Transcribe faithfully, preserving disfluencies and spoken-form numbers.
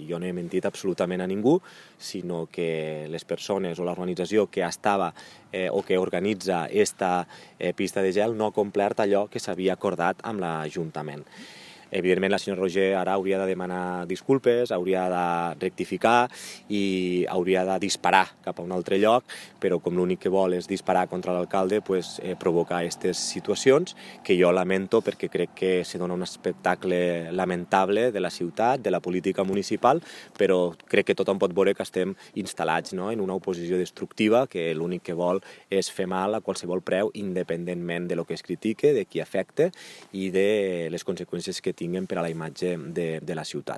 jo no he mentit absolutament a ningú, sinó que les persones o l'organització que estava eh, o que organitza esta eh, pista de gel no ha complert allò que s'havia acordat amb l'Ajuntament. Evidentment, la senyora Roger ara hauria de demanar disculpes, hauria de rectificar i hauria de disparar cap a un altre lloc, però com l'únic que vol és disparar contra l'alcalde, pues, eh, provocar aquestes situacions que jo lamento perquè crec que se dona un espectacle lamentable de la ciutat, de la política municipal, però crec que tothom pot veure que estem instal·lats, no?, en una oposició destructiva que l'únic que vol és fer mal a qualsevol preu, independentment de lo que es critique, de qui afecta i de les conseqüències que tinguen per a la imatge de, de la ciutat.